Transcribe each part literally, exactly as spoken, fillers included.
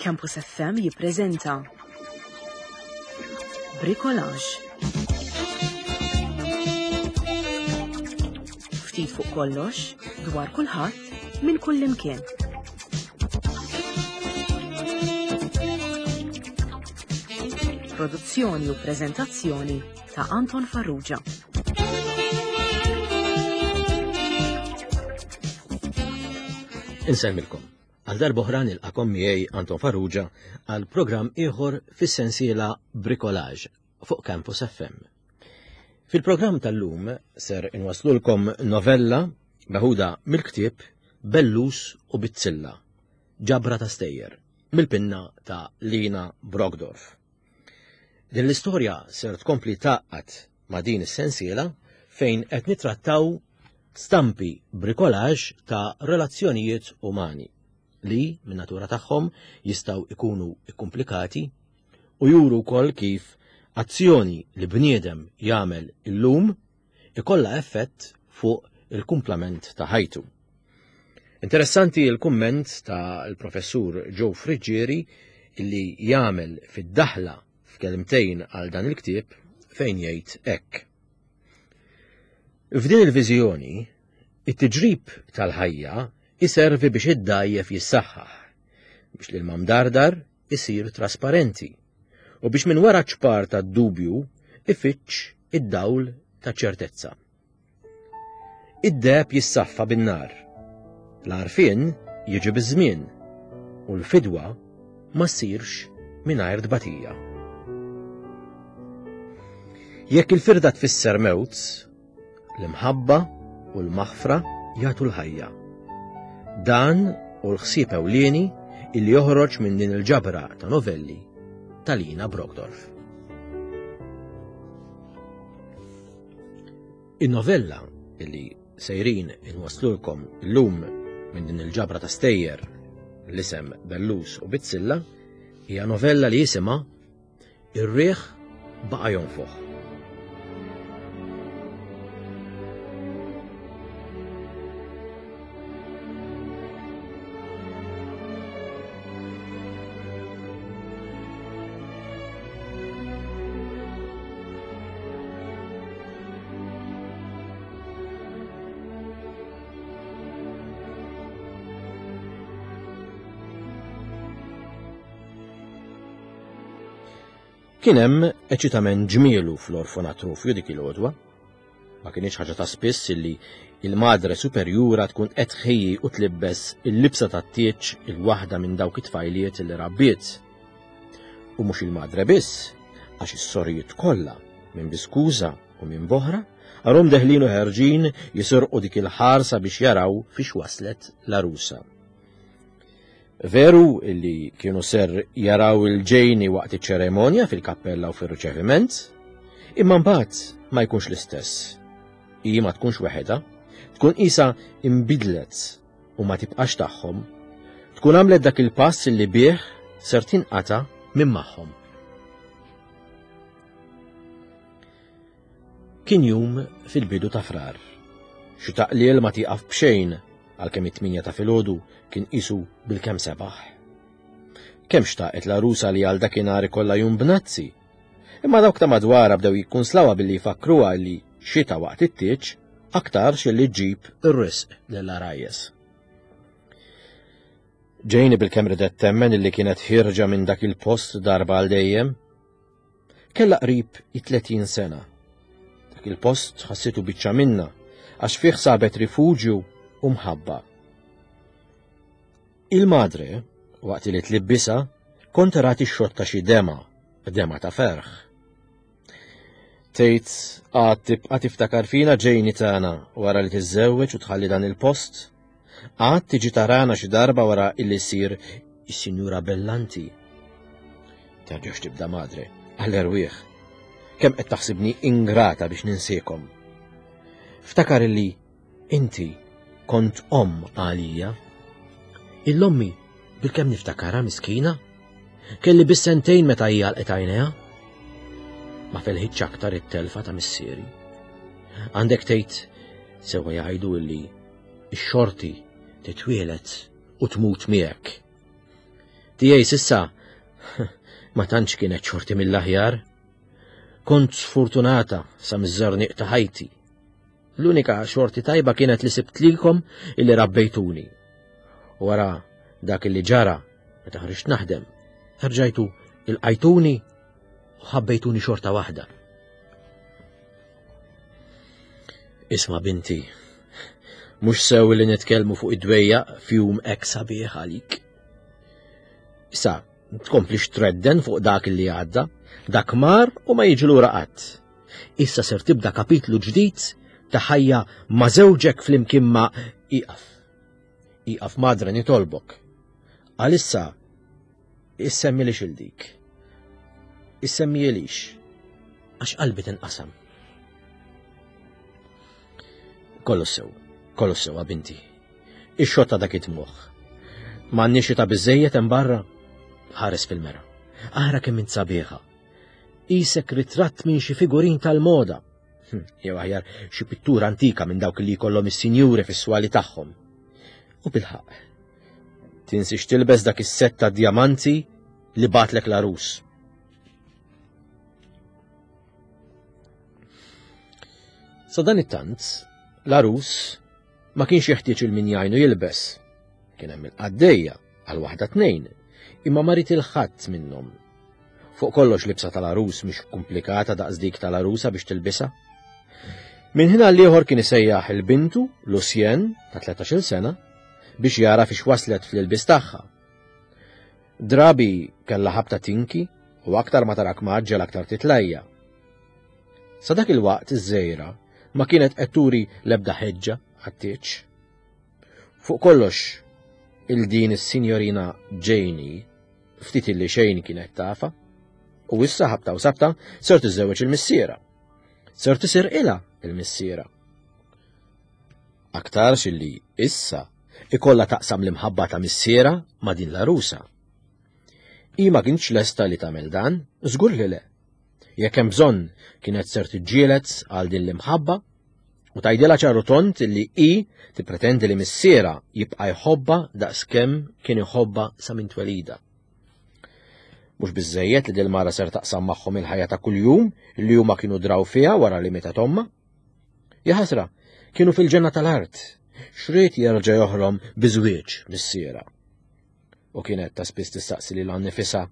Campus F M jippreżenta Bricolage. Ftit fuq kollox, dwar kulħadd, minn kullimkien. Produzzjoni u preżentazzjoni ta' Anton Farrugia. Insellmilkom. Għal darb'oħra nilqakom miegħi Anton Farrugia għal programm ieħor fis-sensiela Bricolage fuq Campus F M. Fil-programm tal-lum ser inwaslulkom novella meħuda mill-ktieb Bellus u Bizzilla, ġabra ta' stejjer, mill-pinna ta' Lina Brockdorff. Din l-istorja ser tkompli tgħaqqad ma' din is-sensiela fejn qed nitrattaw stampi bricolage ta' relazzjonijiet umani li min natura tagħhom jistgħu ikunu ikkumplikati u juru wkoll kif azzjoni li bniedem jagħmel illum ikollha effett fuq il-kumplament ta' ħajtu. Interessanti il-kumment ta' il-professur Joe Friggieri illi jagħmel fid-daħla f'kelmtejn għal dan il-ktieb fejn jgħid hekk. F'din il-viżjoni, it-tiġrib tal-ħajja iservi biex id-dgħajjef jissaħħaħ, biex l-ilma mdardar isir trasparenti u biex minn wara ċpar tad-dubju ifittx id-dawl ta' ċertezza. Id-deheb jissaffa bin-nar, l-għarfien jiġi biż-żmien u l-fidwa ma ssirx mingħajr tbatija. Jekk il-firda tfisser mewt, l-imħabba u l-maħfra jagħtu l-ħajja. Dan hu l-ħsieb ewlieni illi joħroġ minn din il-ġabra ta' novelli ta' Lina Brockdorff. In-novella illi sejrin inwaslulkom illum minn din il-ġabra ta' stejjer l-isem Bellus u Bizzilla hija novella li jisimha Ir-riħ baqa' jonfoħ. Kien hemm eċitament ġmielu fl-orfanatrofju dik il-għodwa. Ma kienx ħaġa ta' spiss illi il-madre superjura tkun qed tħejji u tlibbes il-libsa tat-tieġ il-waħda minn dawk it-tfajliet li rabbiet. U mhux il-madre biss, għax is-sorijiet kollha minn biskuża u minn boħra għarhom deħlin u ħerġin jisirqu dik il-ħarsa biex jaraw fiex waslet l-arusa. Veru illi kienu ser jaraw il-ġejni waqt iċ-ċeremonja fil-kappella u fir-riċeviment, imma mbagħad ma jkunx l-istess. Hi ma tkunx weħedha, tkun qisha imbidlet u ma tibqax tagħhom, tkun għamlet dak il-pass illi bih ser tinqata' minn magħhom. Kien jum fil-bidu ta' Frar. Xi taqliel ma tieqaf b'xejn għalkemm it-tminja ta' filgħodu kien qisu bil-kemm sebaħ. Kemm xtaqet l-arusa li għal dakinhar ikollha jum bnazzi. Imma dawk ta' madwarha bdew jikkunslawha billi jfakruha li xita waqt it-tieġ aktarx li ġġib ir-risq lill-għarajjes. Ġejni bil-kemm ridet temmen illi kienet ħierġa minn dak il-post darba għal dejjem. Kellha qrib it-tletin sena. Dak il-post ħassitu biċċa minna għax fih sabet rifuġju u mħabba. Il-madre, waqt li tlibbisha, kont rat ix-xotta xi dema, dema ta' ferħ. Tgħid għad tibqa' tiftakar fina ġejni tagħna wara li tiżżewweġ u tħalli dan il-post? Għad tiġi tarana xi darba wara illi ssir is-Sinjura Bellanti. Terġax tibda madre, għall-erwieħ. Kemm qed taħsibni ingrata biex ninsiekom. Ftakar illi inti kont omm għalija. Il-ommi bil-kemm niftakarha miskina. Kelli biss sentejn meta hija għalqet għajnejha. Ma felħitx aktar it-telfa ta' missieri. Għandek tgħid sewwa jgħidu illi x-xorti titwielet u tmut miegħek. Tiegħi s'issa ma tantx kienet xorti mill-aħjar. Kont sfortunata sa miż-żerniq ta' ħajti. L-unika xorti tajba kienet li sibt lilkom illi rabbejtuni. U wara dak illi ġara meta ħriġt naħdem, rġajtu ilqajtuni u ħabbejtuni xorta waħda. Isma' binti, mhux sew li nitkellmu fuq id-dwejjaq f'jum hekk sabiħ għalik. Issa, tkomplix tredden fuq dak li għadda, dak mar u ma jiġi lura qatt. Issa ser tibda kapitlu ġdid ta' ħajja ma' żewġek flimkien ma' iqaf. Iqaf madre nitolbok. Għalissa issemmilix il dik. Issemmilix għax qalbi tinqasam. Kollu sew, kollu sew binti. Ix-xotta dak it-moħħ. M'għandniex ta' biżejjed hemm barra. Ħares fil-mera. Ara kemm int sabiħa. Isek ritratt minn xi figurin tal-moda. Hm, jew aħjar xi pittura antika minn dawk li jkollhom is-sinjuri fis-swali tagħhom. U bilħaq. Tinsiex tilbes dak is-sett ta' djamanti li batlek l-għarus. Sa dan it-tant, l-għarus ma kienx jeħtieġ il-min jgħinu jilbes. Kien hemm il-qaddejja għal waħda tnejn, imma ma rid il-ħadd minnhom. Fuq kollox libsa tal-għarus mhix komplikata daqs dik tal-għarusa biex tilbisha. Minn ħin għal ieħor kien isejjaħ il-bintu, Lucien, ta' tlettax-il sena, biex jara fiex waslet fl-ilbis tagħha. Drabi kellha ħabta tinki u aktar ma tarak maġġel aktar titlajja. Sa dak il-waqt iż-żejra ma kienet qed turi l-ebda ħeġġa għat-tieġ. Fuq kollox il-din is-sinjorina Janie ftit illi xejn kienet tafa, u issa ħabta u sabta ser tiżżewweġ il-missiera. Ser tisir ilha il-missiera. Aktarx illi issa ikollha taqsam l-imħabba ta' missiera ma' din l-għarusa. Hi ma kienx lesta li tagħmel dan, żgur li le. Jekk hemm bżonn kienet ser tiġġieled għal din l-imħabba u tgħidilha ċaru tont illi hi tippretendi li missiera jibqa' jħobbha daqskemm kien iħobbha sa minn twelida. Mhux biżżejjed li dil-mara ser taqsam magħhom il-ħajja ta' kuljum li huma kienu draw fiha wara li mietet ommha. Jaħasra, kienu fil-ġenna tal-art, xriet jerġa' joħrom biżwieġ missiera. U kienet ta' spiss tistaqsi lil nifisha.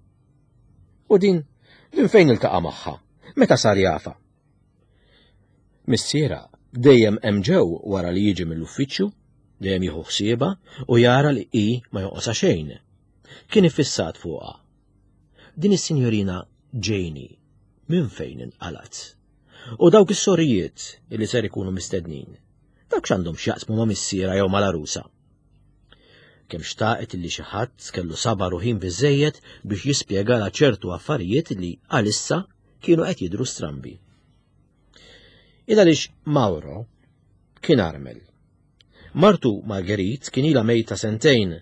U din, din fejn iltaqa' magħha? Meta sar jafa? Missiera dejjem hemm ġew wara li jiġi mill-uffiċċju, dejjem jieħu ħsiebha u jara li hi ma joqosha xejn. Kien iffissat fuqha. Din is-sinjorina Janie minn fejn inqalat? U dawk is-sorijiet li ser ikunu mistednin, dawk x'għandhom x'jaqsmu ma' missiera jew mal-għarusa? Kemm xtaqet illi xi ħadd kellu sabar u ħin biżejjed biex jispjegalha ċertu affarijiet li għalissa kienu qed jidhru strambi. Il għaliex Mauro kien armel. Martu Marguerite kien ilha mejta sentejn.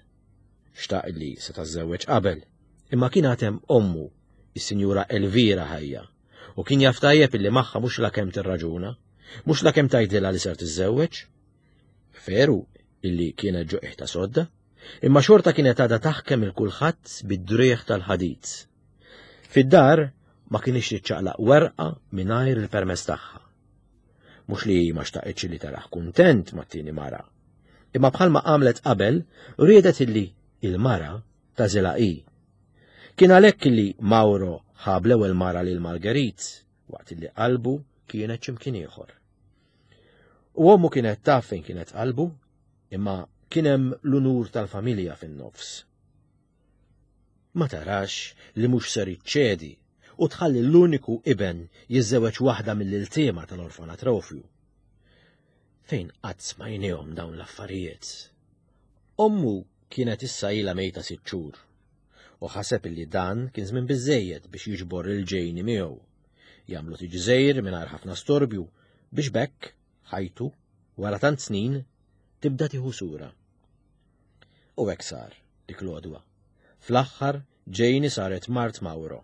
Xtaq illi se tażżewweġ qabel, imma kien għad hemm ommu, is-Sinjura Elvira ħajja, u kien jaf tajjeb illi magħha mhux lakemm tirraġuna, mhux lakemm tgħidilha li ser tiżżewweġ. Veru illi kienet ġo qiegħda sodda, imma xorta kienet għadha taħkem il kulħadd bid-driegħ tal-ħadid. Fid-dar ma kienx tiċċaqlaq werqa mingħajr il-permess tagħha. Mhux li ma xtaqitx li taraħ kuntent mat-tieni mara, imma bħalma għamlet qabel riedet illi il-mara tażilha hi. Kien għalhekk illi Mauro ħab l-ewwel mara lil Marguerite waqt illi qalbu kienet x'imkien ieħor. U ommu kienet taf fejn kienet qalbu, imma kien hemm l-unur tal-familja fin-nofs. Ma tarax li mhux ser iċċedi u tħalli l-uniku iben jiżżewweġ waħda mill-iltiema tal-orfanatrofju. Fejn qatt smajnihom dawn l-affarijiet? Ommu kienet issa ilha mejta sitt xhur u ħaseb illi dan kien żmien biżejjed biex jiġbor il-Janie miegħu. Jagħmlu tiġżejr mingħajr ħafna storbju biex bekk ħajtu wara tant snin tibda tieħu sura. U hekk sar dik l-għodwa. Fl-aħħar Janie saret mart Mauro.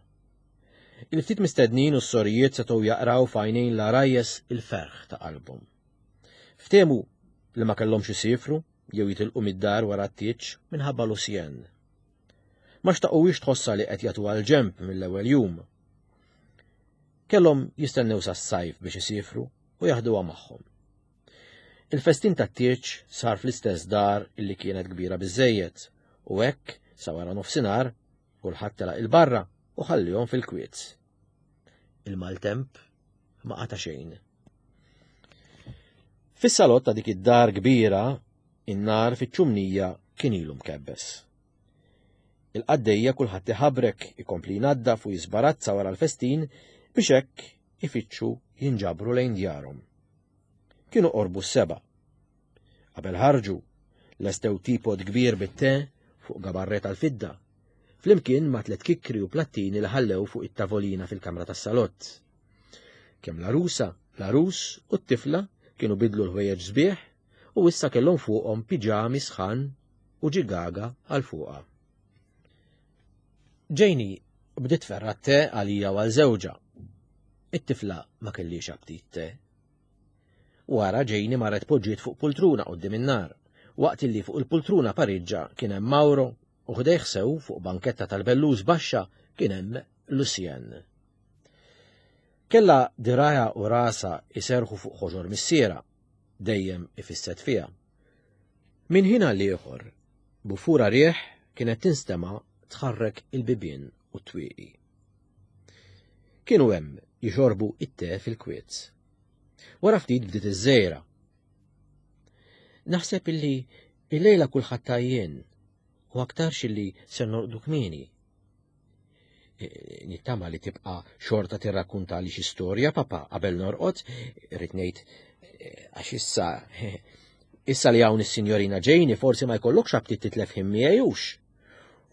Il-ftit mistednin u s-sorijiet setgħu jaqraw f'għajnejn l-għarajjes il-ferħ ta' qalbhom. Ftehmu li ma kellhomx isifru jew jitilqu mid-dar wara t-tieġ minħabba Lucien. Ma xtaquhiex tħossha li qed jagħtuha l-ġenb mill-ewwel jum. Kellhom jistennew sas-sajf biex isifru u jaħduha magħhom. Il-festin tat-tieġ sar fl-istess dar illi kienet kbira biżejjed u hekk sa wara nofsinhar kulħadd telaq il-barra u ħallihom fil-kwiet. Il-maltemp ma qata' xejn. Fis-salott ta' dik id-dar kbira, in-nar fiċ-ċumnija kien ilu mkebbes. Il-qaddejja kulħadd iħabrek ikompli jnaddaf u jisbarazza wara l-festin biex hekk ifittxu jinġabru lejn djarhom. Kienu qorbu s-seba. Qabel ħarġu, lestew teapot kbir bit-te fuq gabarret tal-fidda, flimkien ma' tliet kikri u plattini li ħallew fuq it-tavolina fil-kamra tas-salott. Kemm l-arusa, l-arus u t-tifla kienu bidlu l-ħwejjeġ sbieħ u issa kellhom fuqhom piġami sħan u ġigaga għal fuqha. Janie bdiet tferra' te għalija u għal żewġha. It-tifla ma kellix aptit te. Wara Janie marret poġġiet fuq pultruna quddiem in-nar, waqt illi fuq il-pultruna pariġġa kien hemm Mauro u ħdejh sew fuq banketta tal-bellus baxxa kien hemm Lucien. Kella dirgħajha u rasha iserħu fuq ħoġor missiera, dejjem ifisset fiha. Min ħin għal ieħor, bufura rieħ kienet tinstema' tħarrek il-bibien u t-twieqi. Kienu hemm jixorbu it-te fil-kwiet. Wara ftit bdiet iż-żejra. Naħseb illi illejla kulħadd tajjien u aktarx illi ser norqdu kmieni. E, nittama li tibqa' xorta tirrakkunta li xi storja, papa, qabel norqod, irrid ngħid e, għax issa issa li hawn is-sinjorina Janie forsi ma jkollokx aptit titlef ħin miegħi hux.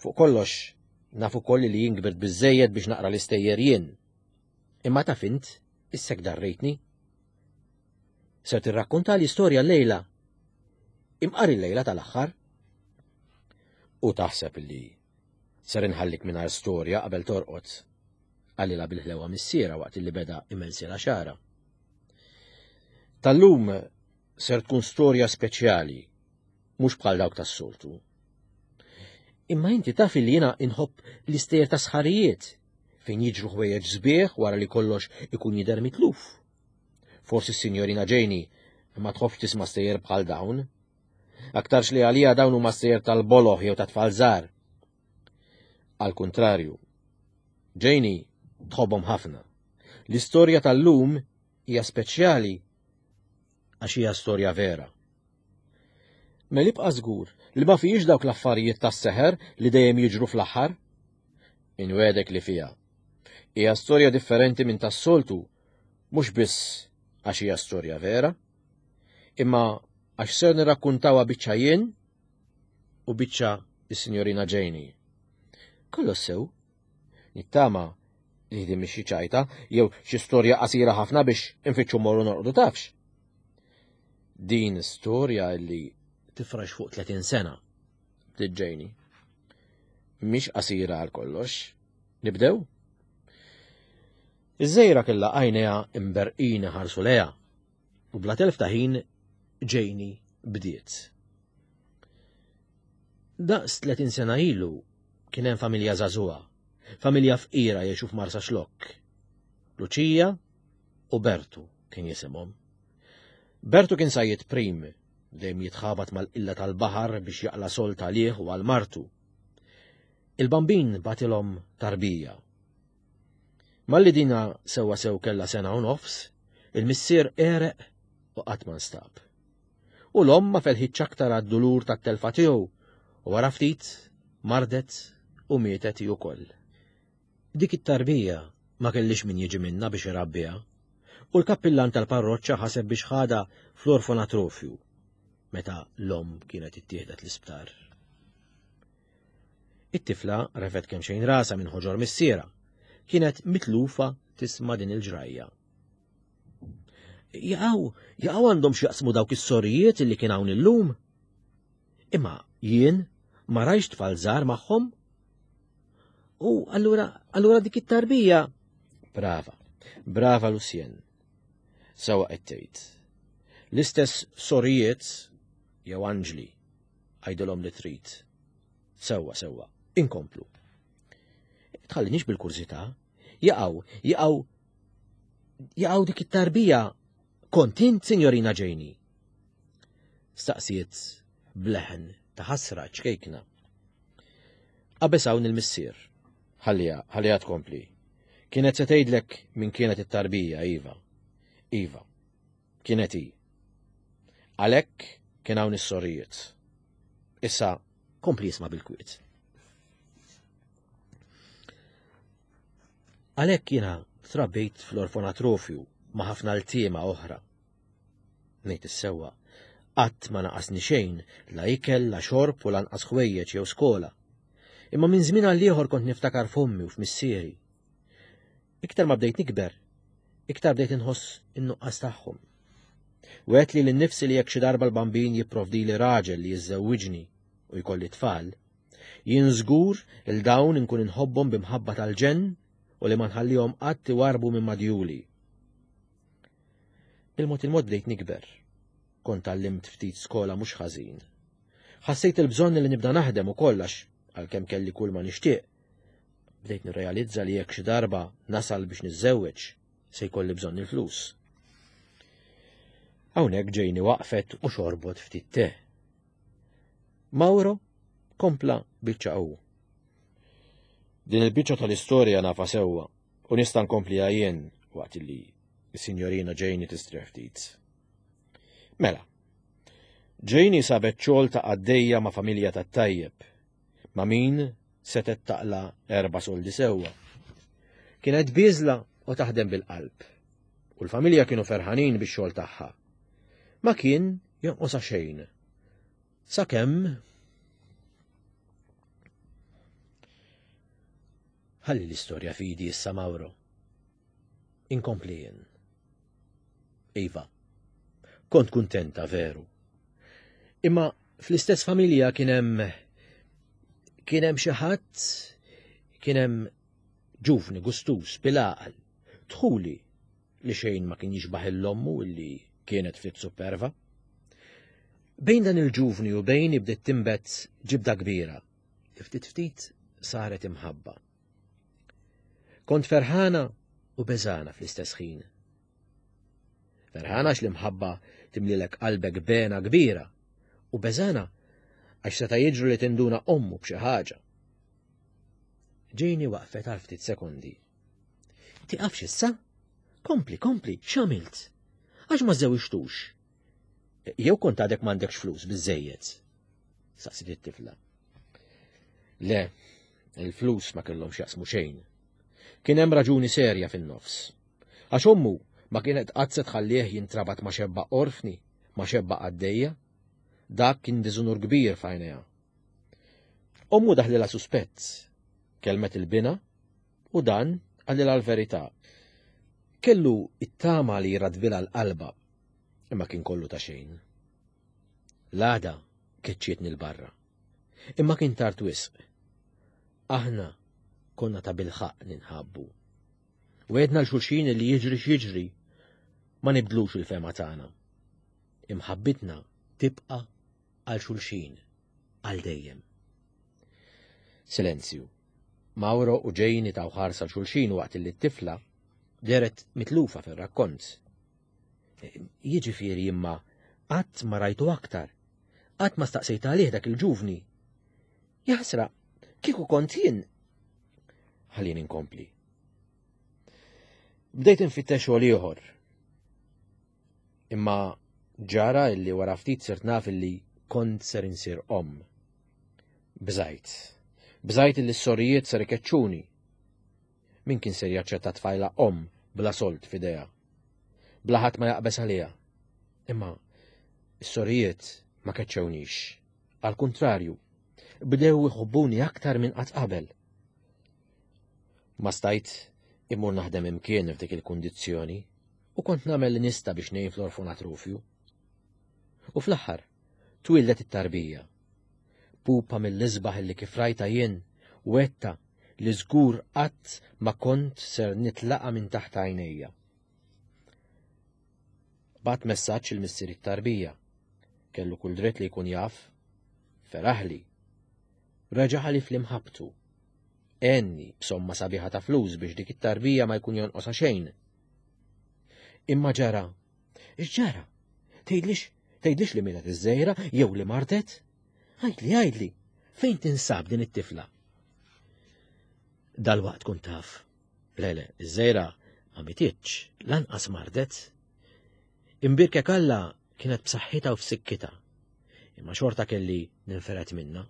Fuq kollox, naf ukoll li jien kbirt biżejjed biex naqra l-istejjer jien. Imma taf int, issek darrejtni. Ser tirrakkonta l-istorja l-lejla. Imqar il-lejla tal-aħħar. U taħseb li ser inħallik mingħajr storja qabel torqod. Qalilha bil-ħlewa missiera waqt li beda imensila xara. Tal-lum ser tkun storja speċjali, mhux bħal dawk tas-soltu. Imma inti taf li jiena inħobb l-istejjer ta' sħarijiet fejn jiġru ħwejjeġ sbieħ wara li kollox ikun jidher mitluf. Forsi s-sinjorina Janie ma tħobbx tisma' stejjer bħal dawn. Aktarx li għalija dawn huma stejjer tal-boloħ jew ta' tfal żgħar. Al kuntrarju, Janie tħobbhom ħafna. L-istorja tal-lum hija speċjali għax hija storja vera. Mela ibqa' żgur li ma fihiex dawk l-affarijiet tas-seħer li dejjem jiġru fl-aħħar. Inwegħdek li fiha. Hija storja differenti minn tas-soltu, mhux biss għax hija storja vera, imma għax ser nirrakkuntawha biċċa jien u biċċa is-sinjorina Janie. Kollox sew, nittama li din mhix xi ċajta jew xi storja qasira ħafna biex infittxu morru norqdu tafx. Din storja li tifrax fuq tletin sena, bdiet Janie. Mhix qasira għal kollox. Nibdew? Iż-żejra kellha għajnejha imberqin ħarsu lejha u bla telf ta' ħin Janie bdiet. Daqs tletin sena ilu kien hemm familja żagħżugħa, familja fqira jgħixu f'Marsa Xlokk. Luċija u Bertu kien jisimhom. Bertu kien sajjied prim, dejjem jitħabat mal-qilla tal-baħar biex jaqla' sold għalih u għal martu. Il-bambin batilhom tarbija. Malli dina sewwa sew kellha sena u nofs, il-missier għereq u qatt ma nstab. U l-omm ma felħitx aktar għad-dulur tat-telfa tiegħu u wara ftit mardet u mietet hi wkoll. Dik it-tarbija ma kellix min jiġi minnha biex irabbiha, u l-kappillan tal-parroċċa ħaseb biex ħadha fl-orfanatrofju meta l-omm kienet ittieħdet l-isptar. It-tifla refgħet kemm xejn rasha minn ħoġor missiera. Kienet mitlufa tisma' din il-ġrajja. Jaqaw, jaqaw għandhom x'jaqsmu dawk is-sorijiet illi kien hawn illum. Imma jien ma rajx tfal żgħar magħhom. U allura, allura dik it-tarbija. Brava, brava Lucien. Sewwa qed tgħid. L-istess sorijiet jew anġli, għajdilhom li trid. Sewwa, sewwa, Inkomplu. Tħallinix bil-kurżità. Jaqaw, jaqaw, jaqaw dik it-tarbija. Kont int, Sinjorina Janie? Staqsiet bleħen ta' ħasra ċkejkna. Qabeż hawn il-missier. Ħalliha, ħalliha tkompli. Kienet se tgħidlek min kienet it-tarbija, Iva. Iva. Kienet hi. Għalhekk kien hawn is-sorijiet. Issa kompli jisma' bil-kwiet. Għalhekk jiena trabbejt fl-orfonatrofju ma' ħafna ltiema oħra. Ngħid is-sewwa, qatt ma naqasni xejn, la ikel, la xorb u lanqas ħwejjeġ jew skola. Imma minn żmien għal ieħor kont niftakar f'ommi u f'missieri. Iktar ma bdejt nikber, iktar bdejt inħoss in-nuqqas tagħhom. Wet li l-nifsi li jekk xi darba l-bambin jipprovdili raġel li jiżżewwiġni u jkolli tfal, jien żgur il dawn inkun inħobbhom b'imħabba tal-ġenn u li ma nħallihom qatt iwarbu minn madjuli. Bil-mod il-mod bdejt nikber. Kont tgħallimt ftit skola mhux ħażin. Ħassejt il-bżonn li nibda naħdem ukoll għax għalkemm kelli kull ma nixtieq. Bdejt nirrealizza li jekk xi darba nasal biex niżżewweġ se jkolli bżonn il-flus. Hawnhekk Janie waqfet u xorbot ftit te. Mauro kompla biċċa hu. Din il-biċċa tal-istorja nafa sewwa u nista' nkompliha jien waqt li s-Sinjorina Janie tistrieħ ftit. Mela, Janie sabet xogħol ta' qaddejja ma' familja tat-tajjeb, ma' min setet taqla erba' soldi sewwa. Kienet biżla u taħdem bil-qalb, u l-familja kienu ferħanin bix-xogħol tagħha. Ma kien jonqosha xejn. Sakemm ħalli l-istorja fidi issa Mauro. Inkompli jien. Iva, kont kuntenta veru. Imma fl-istess familja kien hemm kien hemm xi ħadd, kien hemm ġuvni gustus bil-għaqal, dħuli li xejn ma kien jixbaħ l-ommu illi kienet ftit superva. Bejn dan il-ġuvni u bejn bdiet tinbet ġibda kbira, li ftit ftit saret imħabba. Kont ferħana u beżana fl-istess ħin. Ferħana għax l-imħabba timlilek qalbek bena kbira, u beżana għax seta' jiġru li tinduna ommu b'xi ħaġa. Janie waqfet għal ftit sekondi. Tiqafx issa? Kompli, kompli, x'għamilt? Għax ma żewġtux? Jew kont għadek m'għandekx flus biżejjed? Saqsiet it-tifla. Le, il-flus ma kellhomx jaqsmu xejn. Kien hemm raġuni serja fin-nofs. Għax ommu ma kienet qatt se tħallih jintrabat ma' xebba orfni, ma' xebba qaddejja. Dak kien diżunur kbir f'għajnejha. Ommu daħlilha suspett, kelmet il-bina u dan qalilha l-verità. Kellu it-tama li jradbilha l-qalba, imma kien kollu ta' xejn. L-għada keċċietni l-barra, imma kien tard wisq. Aħna konna ta' bilħaq ninħabbu. Wedna l-xulxin li jiġri x'jiġri, ma nibdlux il-fema tagħna. Imħabbitna tibqa' għal xulxin, għal dejjem. Silenzju. Mauro u Janie taw ħarsa l-xulxin waqt li t-tifla deret mitlufa fir-rakkont. Jiġifieri imma qatt ma rajtu aktar, qatt ma staqsejt għalih dak il-ġuvni. Jaħsra, kieku kont jien. Ħallini nkompli. Bdejt infittex xogħol ieħor. Imma ġara illi wara ftit sirt naf illi kont ser insir omm. Bżajt. Bżajt illi s-sorijiet ser ikeċċuni. Min kien ser jaċċetta tfajla omm bla sold f'idejha? Bla ħadd ma jaqbes għaliha. Imma s-sorijiet ma keċċewnix. Al kuntrarju, bdew iħobbuni aktar minn qatt qabel. Ma stajt immur naħdem imkien f'dik il-kundizzjoni u kont nagħmel li nista biex ngħin fl-orfonatrofju. U fl-aħħar twildet it-tarbija. Pupa mill-isbaħ li kif rajta jien wetta li żgur qatt ma kont ser nitlaqa minn taħt għajnejja. Bat messaġġ il-missier it-tarbija. Kellu kull dritt li jkun jaf. Feraħli. Reġa' ħalif li mħabtu. Għenni b'somma sabiħa ta' flus biex dik it-tarbija ma jkun jonqosha xejn. Imma ġara. X'ġara? Tgħidlix, tgħidlix li mietet iż-żgħira jew li martet? Għidli, għidli, fejn tinsab din it-tifla? Dalwaqt tkun taf. Le, le, iż-żgħira ma mititx, lanqas mardet. Imbirkek Alla kienet b'saħħitha u f'sikkitha. Imma xorta kelli ninferet minna.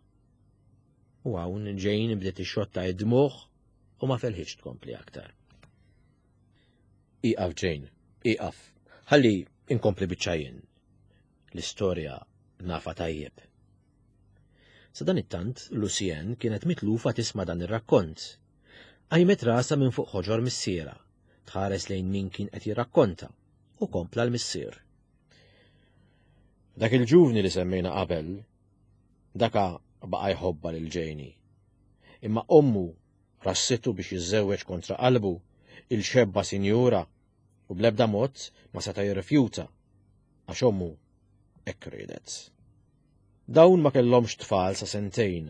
U hawn Jane bdiet ixxotta id-dmugħ u ma felħitx tkompli aktar. Iqaf Jane, iqaf, ħalli inkompli biċċa jien. L-istorja nafa tajjeb. Sadanittant, Lucien kienet mitlufa tisma' dan ir-rakkont. Qajmet rasha minn fuq ħoġor missiera, tħares lejn min kien qed jirrakkonta, u kompla l-missier. Dak il-ġuvni li semmejna qabel, daka baqa' jħobba lil Janie. Imma ommu rassitu biex jiżżewweġ kontra qalbu il-xebba sinjura u bl-ebda mod ma seta' jirrifjuta għax ommu hekk riedet. Dawn ma kellhomx tfal sa sentejn.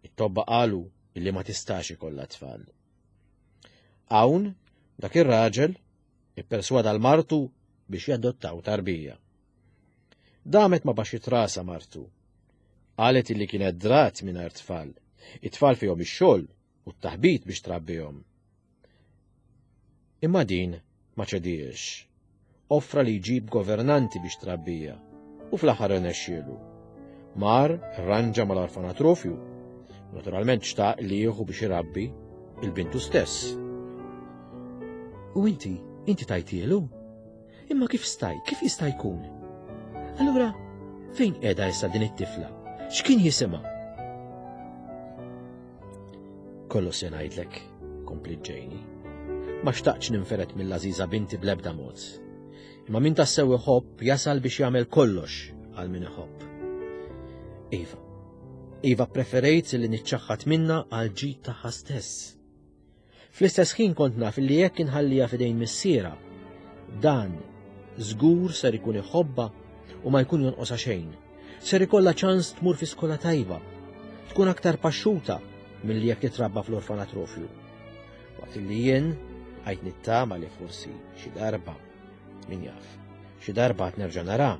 It-tobba qalu illi ma tistax ikollha tfal. Hawn dak ir-raġel ipperswada l-martu biex jadottaw tarbija. Damet ma baxxit rasha martu. Qalet illi kienet drat mingħajr tfal. It-tfal fihom ix-xogħol u t-taħbit biex trabbihom. Imma din ma ċediex. Offra li jġib governanti biex trabbija u fl-aħħar irnexxielu. Mar rranġa mal-orfanatrofju. Naturalment xtaq li jieħu biex irabbi il-bintu stess. U inti, inti tajtielu? Imma kif staj, kif jista' jkun? Allura, fejn qiegħda issa din it-tifla? X'kien jisimha? Kollox se ngħidlek, kompliet Janie. Ma xtaqtx ninferet mill-għażiża binti bl-ebda mod. Imma min tassew iħobb jasal biex jagħmel kollox għal min iħobb. Iva, Iva preferejt li niċċaħħad minna għal ġid tagħha stess. Fl-istess ħin kont naf li jekk inħallija f'idejn missiera, dan żgur ser ikun iħobbha u ma jkun jonqosha xejn. Ser ikollha ċans tmur fi skola tajba, tkun aktar paxxuta milli jekk titrabba fl-orfanatrofju. Waqt li jien għajt nittama li forsi xi darba, min jaf, xi darba għad nerġa' nara,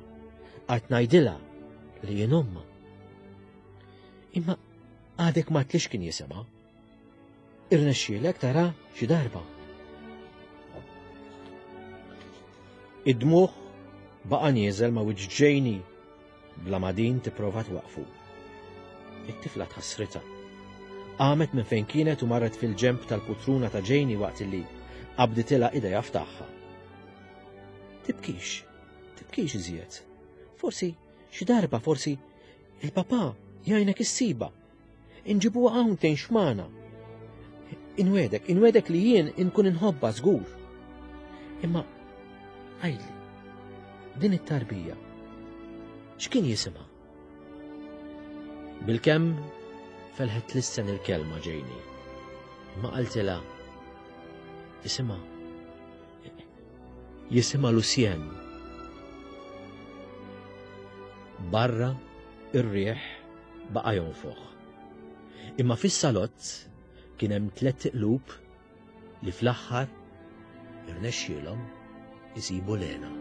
għad ngħidilha li jien ommha. Imma għadek ma tlix kien jisimha. Irnexxielek tara xi darba. Id-dmugħ baqa' nieżel ma' wiċċ Janie bla ma din tipprova twaqfu. It-tifla tħassritha. Qamet minn fejn kienet u marret fil-ġemp tal-putruna ta' Janie waqt li qabditilha idejha f'tagħha. Tibkix, tibkix iżjed. Forsi xi darba, forsi il-papà jgħinek issiba. Inġibuha hawn tgħix magħna. Inwedek, inwedek li jien inkun inħobbha żgur. Imma għidli, din it-tarbija, x'kien jisimha? Bilkemm felħet lissen il-kelma Janie. Imma qaltilha jisimha jisimha Lucien. Barra ir-riħ baqa' jonfoħ. Imma fis-salott kien hemm tliet qlub li fl-aħħar irnexxielhom isibu Lena.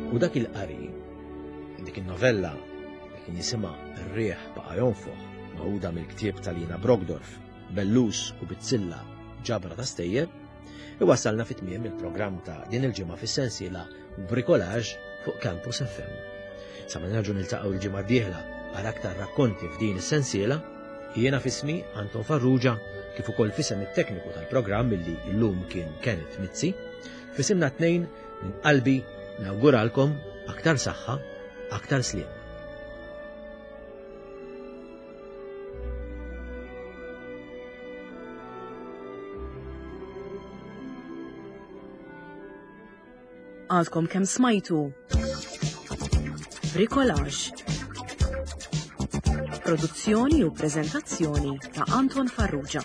U dak il-qari, dik in-novella li kien jisimha Ir-riħ baqa' jonfoħ, maħuda mill-ktieb ta' Lina Brockdorff, Bellus u Bizzilla ġabra ta' stejjer, iwassalna fi tmiem il-programm ta' din il-ġimgħa fis-sensiela Bricolage fuq Campus F M. Sa ma nerġgħu niltaqgħu l-ġimgħa d-dieħla għal aktar rakkonti f'din is-sensiela, jiena f'ismi Anton Farrugia kif ukoll f'isem it-tekniku tal-programm illi llum kien Kenneth Mizzi, f'isimna tnejn minn qalbi nawguralkom aktar saħħa, aktar sliem. Għadkom kemm smajtu Bricolage. Produzzjoni u preżentazzjoni ta' Anton Farrugia.